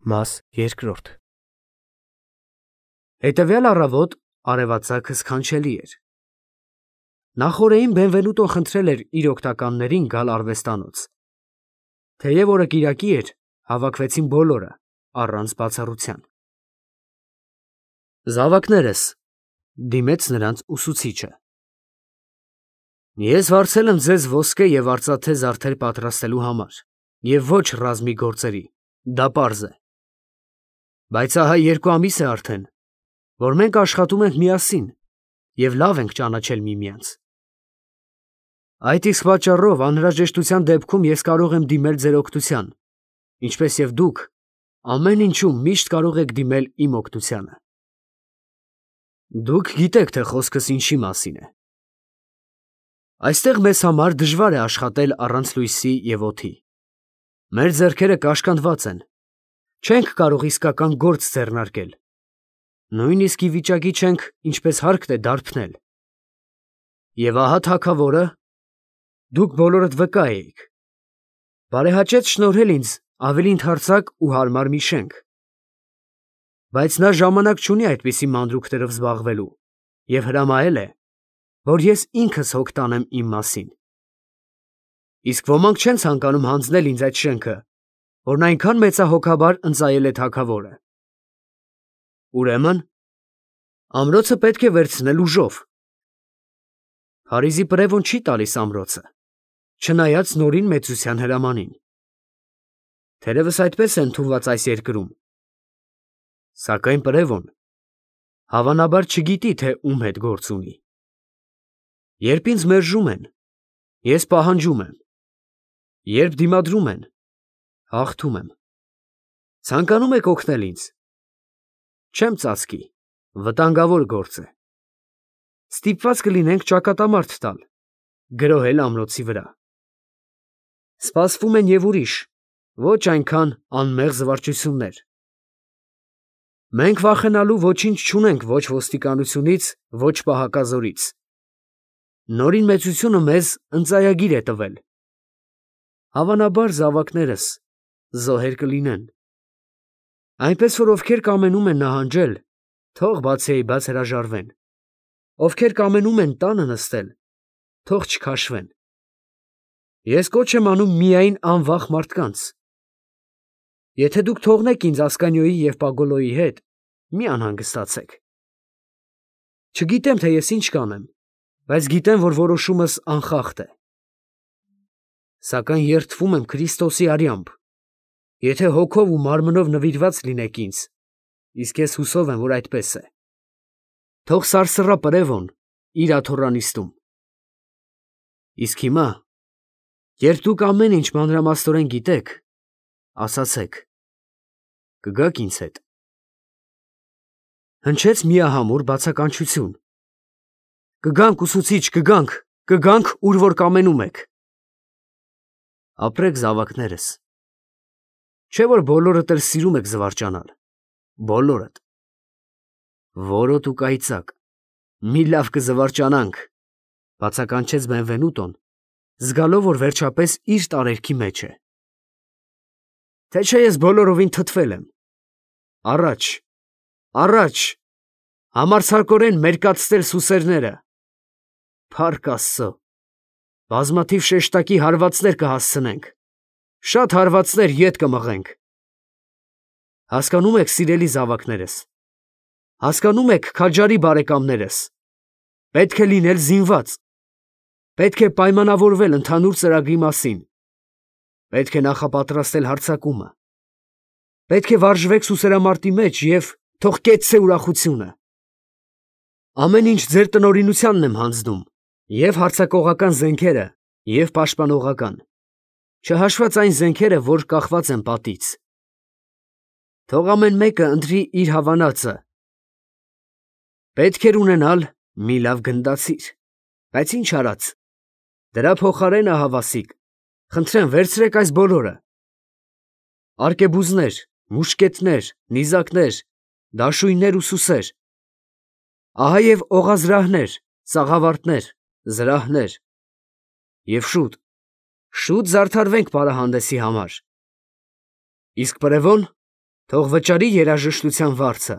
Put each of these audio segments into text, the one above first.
Մաս երկրորդ Հետևյալ առավոտ արևածագը սքանչելի էր։ Նախօրեին Բենվենուտոն խնդրել էր իր օգնականներին գալ արվեստանոց։ Թեև օրը կիրակի էր, հավաքվեցին բոլորը, առանց բացառության։ Զավակներս, դիմեց նրանց ուսուցիչը։ Ես վարձել եմ ձեզ ոսկե և արծաթե զարդեր պատրաստելու համար, և ոչ ռազմի գործերի, դա պարզ է։ Բայց ահա 2 ամիս է արդեն, որ մենք աշխատում ենք միասին և լավ ենք ճանաչել միմյանց։ Այդ իսկ պատճառով անհրաժեշտության դեպքում ես կարող եմ դիմել ձեր օգնության, ինչպես և դուք ամեն ինչում միշտ կարող եք դիմել իմ օգնությանը։ Դուք գիտեք, թե խոսքս ինչի մասին է։ Այստեղ մեզ համար դժվար է աշխատել առանց լույսի և օդի։ Մեր ձեռքերը կաշկանդված են, չենք կարող իսկական գործ ձեռնարկել, նույնիսկ ի վիճակի չենք, ինչպես հարկն է, դարբնել։ Եվ ահա թագավորը, դուք բոլորդ վկա էիք, բարեհաճեց շնորհել ինձ ավելի ընդարձակ ու հարմար մի շենք։ Բայց նա ժամանակ չունի այդպիսի մանրուքներով զբաղվելու և հրամայել է, որ ես ինքս հոգ տանեմ իմ մասին։ Իսկ ոմանք չեն ցանկանում հանձնել ինձ այդ շենքը, որն այնքան մեծահոգաբար ընծայել է թագավորը։ Ուրեմն, ամրոցը պետք է վերցնել ուժով։ Փարիզի պրևոն չի տալիս ամրոցը, չնայած նորին մեծության հրամանին։ Թերևս այդպես է ընդունված այս երկրում։ Սակայն պրևոն, հավանաբար, չգիտի, թե ում հետ գործ ունի։ Երբ ինձ մերժում են, ես պահանջում եմ։ Երբ դիմադրում են, հաղթում եմ։ Ցանկանում եք օգնել ինձ։ Չեմ ծածկի, վտանգավոր գործ է։ Ստիպված կլինենք ճակատամարտ տալ, գրոհել ամրոցի վրա։ Սպասվում են և ուրիշ, ոչ այնքան անմեղ զվարճություններ։ Մենք վախենալու ոչինչ չունենք ոչ ոստիկանությունից, ոչ պահակազորից։ Նորին մեծությունը մեզ ընծայագիր է տվել։ Հավանաբար, զավակներս, զոհեր կլինեն։ Այնպես որ ովքեր կամենում են նահանջել, թող բացիայիբաց հրաժարվեն։ Ովքեր կամենում են տանը նստել, թող չքաշվեն։ Ես կոչ եմ անում միայն անվախ մարդկանց։ Եթե դուք թողնեք ինձ Ասկանիոյի և Պագոլոյի հետ, մի անհանգստացեք։ Չգիտեմ, թե ես ինչ կանեմ, բայց գիտեմ, որ որոշումս անխախտ է։ Սակայն երդվում եմ Քրիստոսի արյամբ, եթե հոգով ու մարմնով նվիրված լինեք ինձ, իսկ ես հուսով եմ, որ այդպես է, թող սարսռա պրևոն իր աթոռանիստում։ Իսկ հիմա, երբ դուք ամեն ինչ մանրամասնորեն գիտեք, ասացեք, կգաք ինձ հետ։ Հնչեց միահամուռ բացականչություն։ Կգանք, ուսուցիչ, կգանք, ուր որ կամենում եք։ Ապրեք, զավակներս։ Չէ՞ որ բոլորդ էլ սիրում եք զվարճանալ, բոլորդ։ Որոտ ու կայծակ, մի լավ կզվարճանանք, բացականչեց Բենվենուտոն, զգալով, որ վերջապես իր տարերքի մեջ է։ Թե չէ ես բոլորովին թթվել եմ։ Առաջ, առաջ, համարձակորեն մերկացնել սուսերները։ Փառք Աստծո, բազմաթիվ շեշտակի հարվածներ կհասցնենք, շատ հարվածներ ետ կմղենք։ Հասկանում եք, սիրելի զավակներս, հասկանում եք, քաջարի բարեկամներս, պետք է լինել զինված, պետք է պայմանավորվել ընդհանուր ծրագրի մասին, պետք է նախապատրաստել հարձակումը, պետք է վարժվեք սուսերամարտի մեջ և թող կեցցե ուրախությունը։ Ամեն ինչ ձեր տնօրինությանն եմ հանձնում, և հարձակողական զենքերը, և պաշտպանողական, չհաշված այն զենքերը, որ կախված են պատից։ Թող ամեն մեկը ընտրի իր հավանածը։ Պետք էր ունենալ մի լավ գնդացիր, բայց ինչ արած, դրա փոխարեն, ահա Վասիկ, խնդրեմ վերցրեք այս բոլորը. արկեբուզներ, մուշկետներ, նիզակներ, դաշույններ ու սուսեր, ահա և օղազրահներ, սաղավարտներ, զրահներ, և շուտ զարդարվենք պարահանդեսի համար։ Իսկ պրևոն, Թող վճարի երաժշտության վարձը։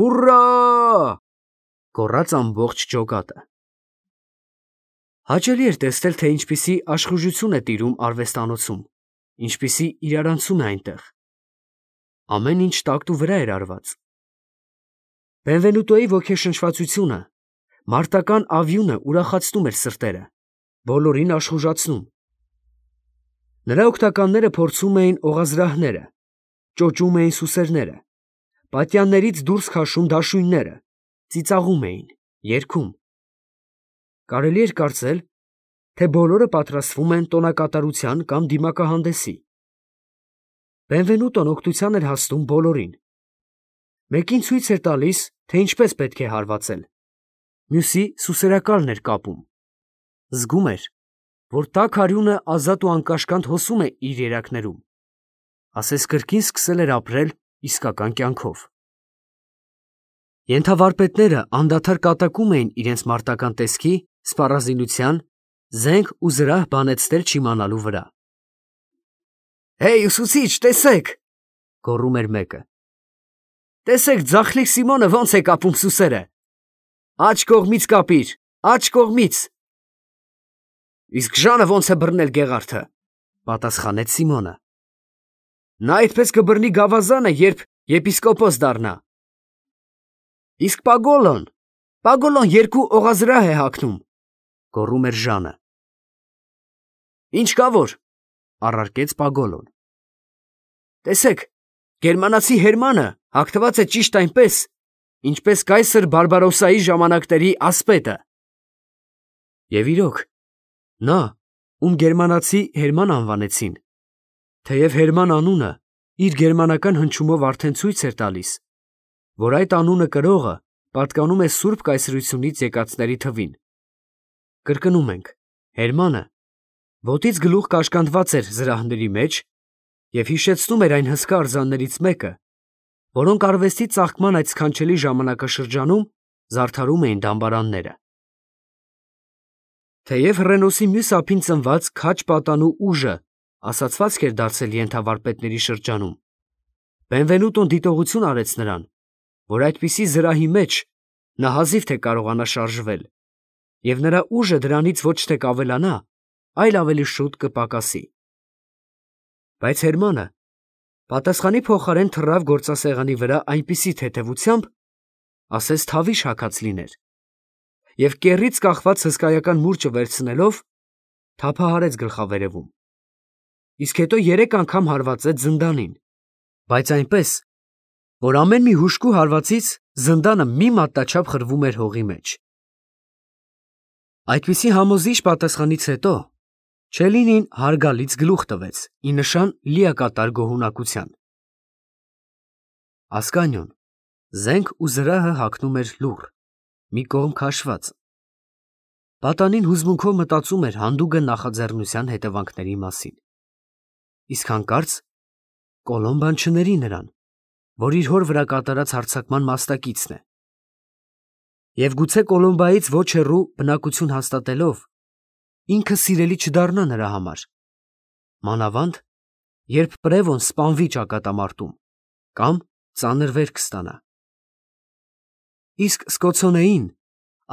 Ուռա! Գոռաց ամբողջ ջոկատը։ Հաճելի էր տեսնել, թե ինչպիսի աշխուժություն է տիրում արվեստանոցում, ինչպիսի իրարանցում է այնտեղ։ Ամեն ինչ տակտու վրա էր արված։ Բենվենուտոյի ոգեշնչվածությունը, մարտական ավյունը ուրախացնում էր սրտերը, բոլորին աշխուժացնում։ Նրա օգնականները փորձում էին օղազրահները, ճոճում էին սուսերները, պատյաններից դուրս քաշում դաշույնները, ծիծաղում էին, երգում։ Կարելի էր կարծել, թե բոլորը պատրաստվում են տոնակատարության կամ դիմակահանդեսի։ Բենվենուտոն օգնության էր հասնում բոլորին։ Մեկին ցույց էր տալիս, թե ինչպես պետք է հարվածել, մյուսի սուսերակալն էր կապում։ Զգում էր, որ տաք արյունը ազատ ու անկաշկանդ հոսում է իր երակներում, ասես կրկին սկսել էր ապրել իսկական կյանքով։ Ենթավարպետները անդադար կատակում էին իրենց մարտական տեսքի, սպառազինության, զենք ու զրահ բանեցնել չիմանալու վրա։ «Հեյ, ուսուցիչ, տեսեք!» գոռում էր մեկը։ «Տեսեք, ձախլիկ Սիմոնը ոնց է կապում սուսերը։ Աջ կողմից կապիր, աջ կողմից»։ «Իսկ Ժանը ոնց է բռնել գեղարդը», պատասխանեց Սիմոնը։ «Նա այդպես կբռնի գավազանը, երբ եպիսկոպոս դառնա»։ «Իսկ Պագոլոն երկու օղազրահ է հագնում», գոռում էր Ժանը։ «Ինչ կա որ», առարկեց Պագոլոն։ «Տեսեք, գերմանացի Հերմանը հագնված է ճիշտ այնպես, ինչպես կայսր Բարբարոսայի ժամանակների ասպետը»։ Եվ իրոք, նա, ում գերմանացի Հերման անվանեցին, թեև Հերման անունը իր գերմանական հնչյունով արդեն ցույց էր տալիս, որ այդ անունը կրողը պատկանում է Սուրբ կայսրությունից եկածների թվին։ Կրկնում ենք, Հերմանը ոտից գլուխ կաշկանդված էր զրահների մեջ և հիշեցնում էր այն հսկա արձաններից մեկը, որոնք արվեստի ծաղկման այդ սքանչելի ժամանակաշրջանում զարդարում էին դամբարանները։ Թեև Հռենոսի մյուս ափին ծնված քաջ պատանու ուժը ասացվածք էր դարձել ենթավարպետների շրջանում, Բենվենուտոն դիտողություն արեց նրան, որ այդպիսի զրահի մեջ նա հազիվ թե կարողանա շարժվել, և նրա ուժը դրանից ոչ թե կավելանա, այլ ավելի շուտ կպակասի։ Բայց Հերմանը պատասխանի փոխարեն թռավ գործասեղանի վրա այնպիսի թեթևությամբ, ասես թավիշ հագած լիներ, և կեռից կախված հսկայական մուրճը վերցնելով, թափահարեց գլխավերևում, իսկ հետո 3 անգամ հարվածեց զնդանին, բայց այնպես, որ ամեն մի հուժկու հարվածից զնդանը մի մատնաչափ խրվում էր հողի մեջ։ Այդպիսի համոզիչ պատասխանից հետո Չելինին հարգալից գլուխ տվեց, ի նշան լիակատար գոհունակության։ Ասկանյոն զենք ու զրահը հագնում էր լուռ, մի կողմ քաշված։ Պատանին հուզմունքով մտածում էր հանդուգն նախաձեռնության հետևանքների մասին։ Իսկ հանկարծ Կոլոմբան չների նրան, որ իր հոր վրա կատարած հարձակման մասնակիցն է։ Եվ գուցե Կոլոմբայից ոչ հեռու բնակություն հաստատելով, ինքը սիրելի չդառնա նրա համար, մանավանդ, երբ Պրևոն սպանվի ճակատամարտում կամ ծանր վերք ստանա։ Իսկ Սկոցոնեին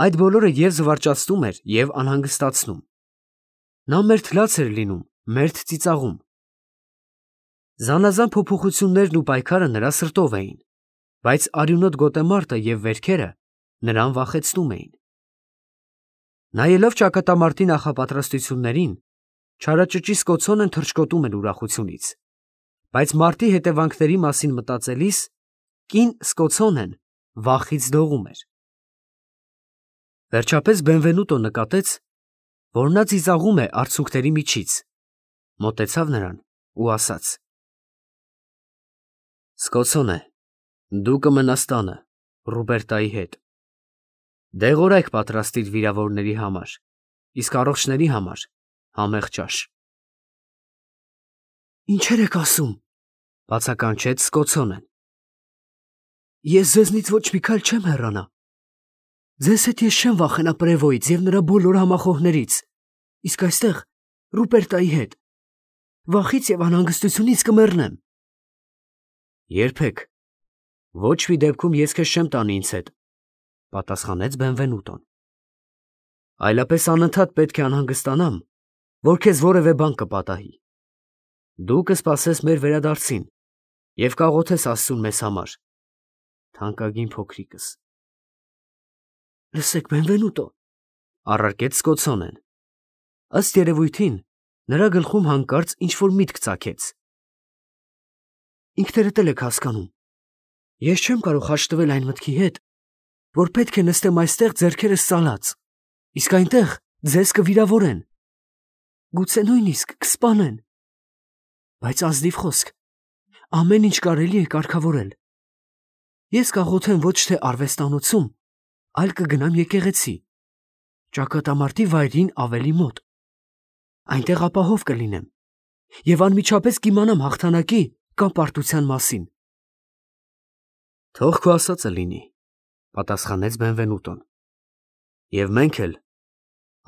այդ բոլորը և զվարճացնում էր, և անհանգստացնում։ Նա մերթ լաց էր լինում, մերթ ծիծաղում։ Զանազան փոփոխություններն ու պայքարը նրա սրտով էին, բայց արյունոտ գոտեմարտը և վերքերը նրան վախեցնում էին։ Նայելով ճակատամարտի նախապատրաստություններին, չարաճճի Սկոցոնեն թռչկոտում էր ուրախությունից, բայց մարտի հետևանքների մասին մտածելիս կին Սկոցոնեն վախից դողում էր։ Վերջապես Բենվենուտոն նկատեց, որ նա ծիծաղում է արցունքների միջից, մոտեցավ նրան ու ասաց. «Սկոցոնե, դու կմնաս տանը Ռուբերտայի հետ։ Դեղորայք պատրաստիր վիրավորների համար, իսկ առողջների համար համեղ ճաշ»։ «Ինչեր եք ասում», բացականչեց Սկոցոնեն։ «Ես ձեզնից ոչ մի քայլ չեմ հեռանա։ Ձեզ հետ ես չեմ վախենա Պրևոյից և նրա բոլոր համախոհներից, իսկ այստեղ Ռուպերտայի հետ։ Վախից և անհանգստությունից կմեռնեմ»։ Երբեք։ Ոչ մի դեպքում ես քեզ չեմ տանի ինձ հետ, պատասխանեց Բենվենուտոն։ Այլապես անընդհատ պետք է անհանգստանամ, որ քեզ որևէ բան կպատահի։ Դու կսպասես մեր վերադարձին և կաղոթես Աստծուն մեզ համար, թանկագին փոքրիկս։ Լսեք, Բենվենուտո, առարկեց Սկոցոնեն։ Ըստ երևույթին, նրա գլխում հանկարծ ինչ-որ միտք ծագեց։ Ինքներդ էլ եք հասկանում, ես չեմ կարող հաշտվել այն մտքի հետ, որ պետք է նստեմ այստեղ ձեռքերս ծալած, իսկ այնտեղ ձեզ կվիրավորեն, գուցե նույնիսկ կսպանեն, բայց ազնիվ խոսք, ամեն ինչ կարելի է կարգավորել։ Ես կաղոթեմ ոչ թե արվեստանոցում, այլ կգնամ եկեղեցի, ճակատամարտի վայրին ավելի մոտ։ Այնտեղ ապահով կլինեմ և անմիջապես կիմանամ հաղթանակի կամ պարտության մասին։ Թող քո ասածը լինի, պատասխանեց Բենվենուտոն։ Եվ մենք էլ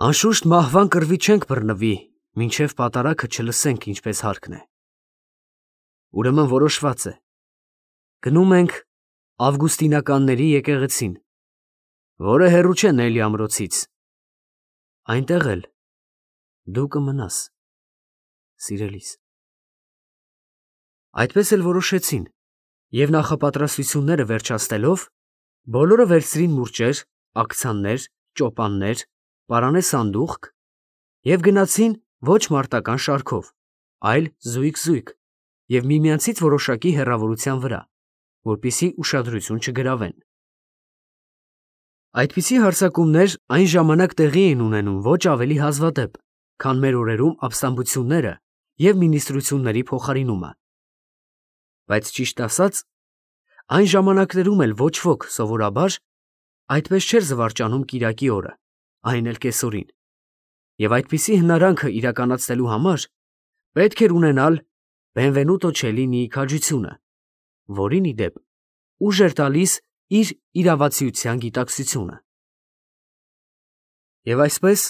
անշուշտ մահվան կռվի չենք բռնվի, մինչև պատարագը չլսենք ինչպես հարկն է։ Ուրեմն որոշված է։ Գնում ենք Ավգուստինականների եկեղեցին, որը հեռու չէ Նելի ամրոցից։ Այնտեղ էլ դու կմնաս, սիրելիս։ Այդպես էլ որոշեցին, և նախապատրաստությունները վերջացնելով, բոլորը վերցրին մուրճեր, աքցաններ, ճոպաններ, պարանե սանդուղք և գնացին ոչ մարտական շարքով, այլ զույգ-զույգ և միմյանցից որոշակի հեռավորության վրա, որպեսզի ուշադրություն չգրավեն։ Այդպիսի հարձակումներ այն ժամանակ տեղի էին ունենում ոչ ավելի հազվադեպ, քան մեր օրերում ապստամբությունները և մինիստրությունների փոխարինումը։ Բայց ճիշտ ասած, այն ժամանակներում էլ ոչ ոք սովորաբար այդպես չէր զվարճանում կիրակի օրը, այն էլ կեսօրին, և այդպիսի հնարանքը իրականացնելու համար պետք էր ունենալ Բենվենուտո Չելինիի քաջությունը, որին ի դեպ ուժ էր տալիս իր իրավացիության գիտակցությունը։ Եվ այսպես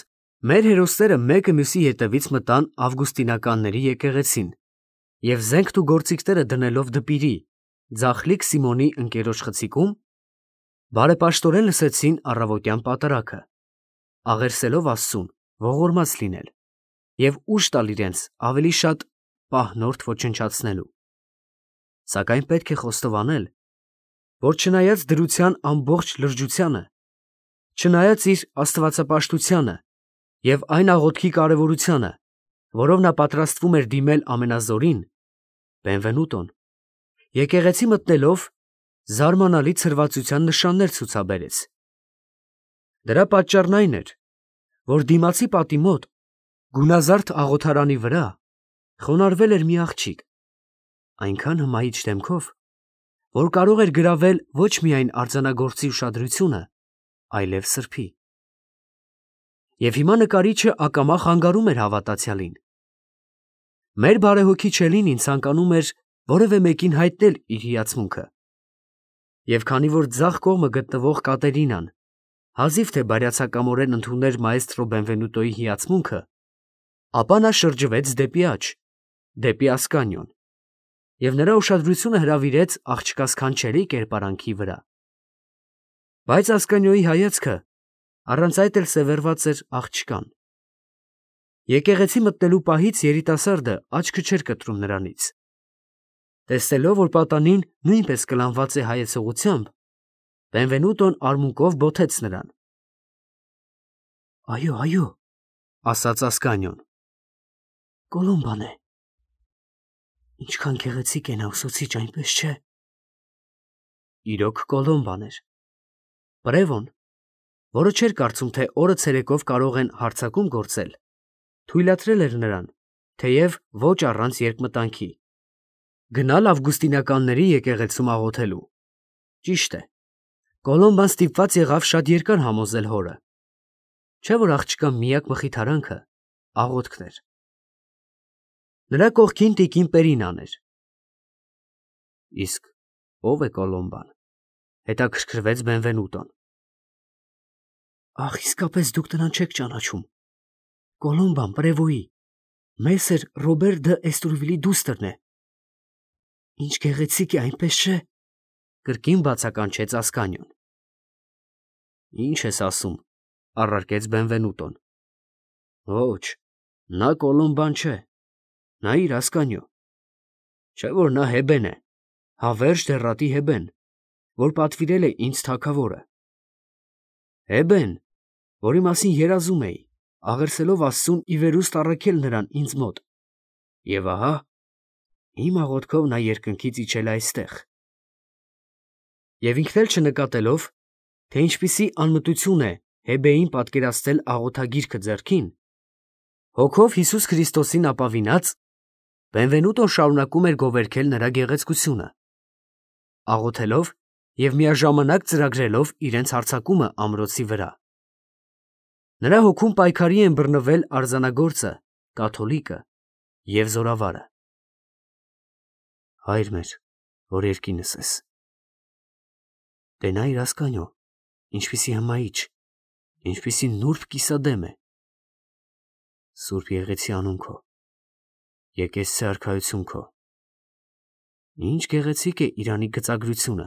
մեր հերոսները մեկը մյուսի հետևից մտան Ավգուստինականների եկեղեցին և զենքն ու գործիքները դնելով դպիրի, ձախլիկ Սիմոնի ընկերոջ խցիկում, բարեպաշտորեն լսեցին առավոտյան պատարագը, աղերսելով Աստծուն ողորմած լինել և ուժ տալ իրենց ավելի շատ պահնորդ ոչնչացնելու։ Սակայն պետք է խոստովանել, որ չնայած դրության ամբողջ լրջությանը, չնայած իր աստվածապաշտությանը և այն աղոթքի կարևորությանը, որով նա պատրաստվում էր դիմել ամենազորին, Բենվենուտոն, եկեղեցի մտնելով, զարմանալի ցրվածության նշաններ ցուցաբերեց։ Դրա պատճառն այն էր, որ դիմացի պատի մոտ, գունազարդ աղոթարանի վրա, խոնարհվել էր մի աղջիկ, այնքան հմայիչ դեմքով, որ կարող էր գրավել ոչ միայն արձանագործի ուշադրությունը, այլև սրբի։ Եվ հիմա նկարիչը ակամա խանգարում էր հավատացյալին։ Մեր բարեհոգի Չելինին ցանկանում էր որևէ մեկին հայտնել իր հիացմունքը։ Եվ քանի որ ձախ կողմը գտնվող Կատերինան հազիվ թե բարյացակամորեն ընդուներ մաեստրո Բենվենուտոյի հիացմունքը, ապա նա շրջվեց դեպի աջ, դեպի Ասկանիոն, և նրա ուշադրությունը հրավիրեց աղջկա սքանչելի կերպարանքի վրա։ Բայց Ասկանիոյի հայացքը առանց այդ էլ սևեռված էր աղջկան։ Եկեղեցի մտնելու պահից երիտասարդը աչքը չէր կտրում նրանից։ Տեսնելով, որ պատանին նույնպես կլանված է հայեցողությամբ, Բենվենուտոն արմունկով բոթեց նրան։ Այո, այո, ասաց Ասկանիոն, Կոլոմբան է։ Ինչքան գեղեցիկ է նա ուսուցիչ, այնպես չէ։ Իրոք Կոլոմբան էր։ Պրևոն, որը չէր կարծում, թե օրը ցերեկով կարող են հարձակում գործել, թույլատրել էր նրան, թեև ոչ առանց երկմտանքի, գնալ Ավգուստինականների եկեղեցում աղոթելու։ Ճիշտ է, Կոլոմբան ստիպված եղավ շատ երկար համոզել հորը, չէ՞ որ աղջկա միակ մխիթարանքը աղոթքն էր։ Նրա կողքին տիկին Պերինան էր։ Իսկ ո՞վ է Կոլոմբան, հետաքրքրվեց Բենվենուտոն։ Ախ, իսկապես դուք նրան չեք ճանաչում։ Կոլոմբան Պրևոյի, Մեսեր Ռոբեր դը Էստուրվիլի դուստրն է։ Ինչ գեղեցիկ է, այնպես չէ, կրկին բացականչեց Ասկանյոն։ Ինչ ես ասում, առարկեց Բենվենուտոն։ Ոչ, նա Կոլոմբան չէ, նայիր Ասկանյո, չէ որ նա Հեբեն է, հավերժ դեռատի Հեբեն, որ պատվիրել է ինձ թագավորը։ Հեբեն, որի մասին երազում էի, աղերսելով Աստծուն ի վերուստ առաքել նրան ինձ մոտ։ Եվ ահա, իմ աղոթքով նա երկնքից իջել է այստեղ։ Եվ ինքն էլ չնկատելով, թե ինչպիսի անմտություն է Հեբեին պատկերացնել աղոթագիրքը ձեռքին, հոգով Հիսուս Քրիստոսին ապավինած, Բենվենուտոն շարունակում էր գովերգել նրա գեղեցկությունը, աղոթելով և միաժամանակ ծրագրելով իրենց հարձակումը ամրոցի վրա։ Նրա հոգում պայքարի են բռնվել արձանագործը, կաթոլիկը և զորավարը։ Հայր մեր, որ երկինս ես, տենայիր Ասկանյո, ինչպիսի հմայիչ, ինչպիսի նուրբ կիսադեմ է։ Սուրբ եղեցի անուն քո, եկեղեցի արքայություն քո։ Ինչ գեղեցիկ է Իրանի գծագրությունը։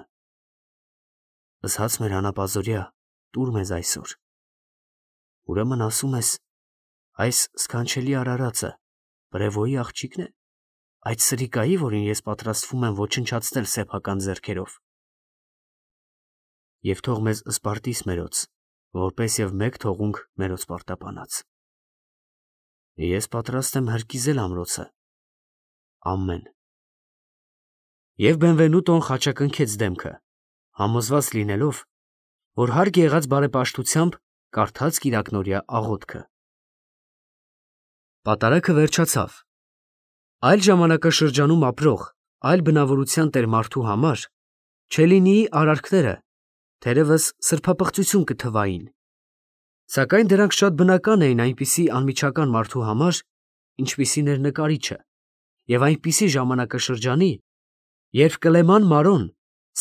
Զհաց մեր անապազորյա, տուր մեզ այսօր։ Ուրեմն ասում ես, այս սքանչելի արարածը Պրևոյի աղջիկն է, այդ սրիկայի, որին ես պատրաստվում եմ ոչնչացնել սեփական ձեռքերով։ Եվ թող մեզ սպարտիս մերոց, որպես և մեկ թողունք մերոց պարտապանած։ Ես պատրաստ եմ հրկիզել ամրոցը։ Ամեն։ Եվ Բենվենուտոն խաչակնքեց դեմքը, համոզված լինելով, որ հարկ եղած բարեպաշտությամբ կարդաց կիրակնօրյա աղոթքը։ Պատարագը վերջացավ։ Այլ ժամանակաշրջանում ապրող, այլ բնավորության տեր մարդու համար Չելինիի արարքները թերևս սրբապղծություն կթվային, սակայն դրանք շատ բնական էին այնպիսի անմիջական մարդու համար, ինչպիսին էր նկարիչը, և այնպիսի ժամանակաշրջանի, երբ Կլեման Մարոն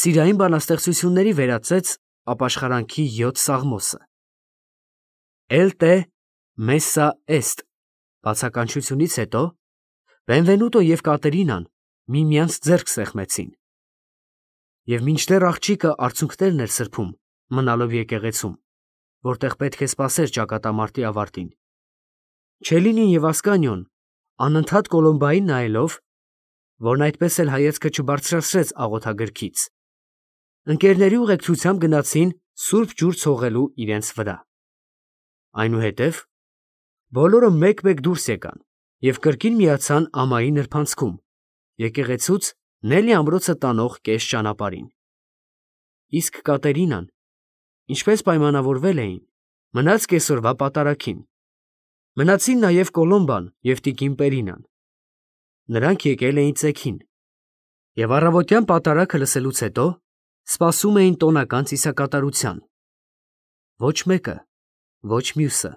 սիրային բանաստեղծությունների վերածեց ապաշխարանքի 7 սաղմոսը։ «Էլ տե մեսսա էստ» բացականչությունից հետո Բենվենուտո և Կատերինան միմյանց ձեռք սեղմեցին, և մինչդեռ աղջիկը արցունքներն էր սրբում, մնալով եկեղեցում, որտեղ պետք է սպասեր ճակատամարտի ավարտին, Չելինին և Ասկանյոն անընդհատ Կոլոմբային նայելով, որն այդպես էլ հայացքը չբարձրացրեց աղոթագրքից, ընկերների ուղեկցությամբ գնացին սուրբ ջուր ցողելու իրենց վրա։ Այնուհետև բոլորը մեկ-մեկ դուրս եկան և կրկին միացան ամայի նրբանցքում, եկեղեցուց Նելի ամրոցը տանող կես ճանապարհին։ Իսկ Կատերինան, ինչպես պայմանավորվել էին, մնաց կեսօրվա պատարագին։ Մնացին նաև Կոլոմբան և տիկին Պերինան։ Նրանք եկել էին ծեքին և առավոտյան պատարագը լսելուց հետո սպասում էին տոնական ծիսակատարության։ Ոչ մեկը, ոչ մյուսը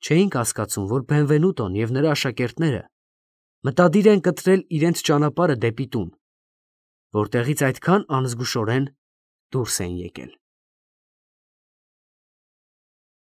չէին կասկածում, որ Բենվենուտոն և նրա աշակերտները մտադիր են կտրել իրենց ճանապարհը դեպի տուն, որտեղից այդքան անզգուշորեն դուրս էին եկել։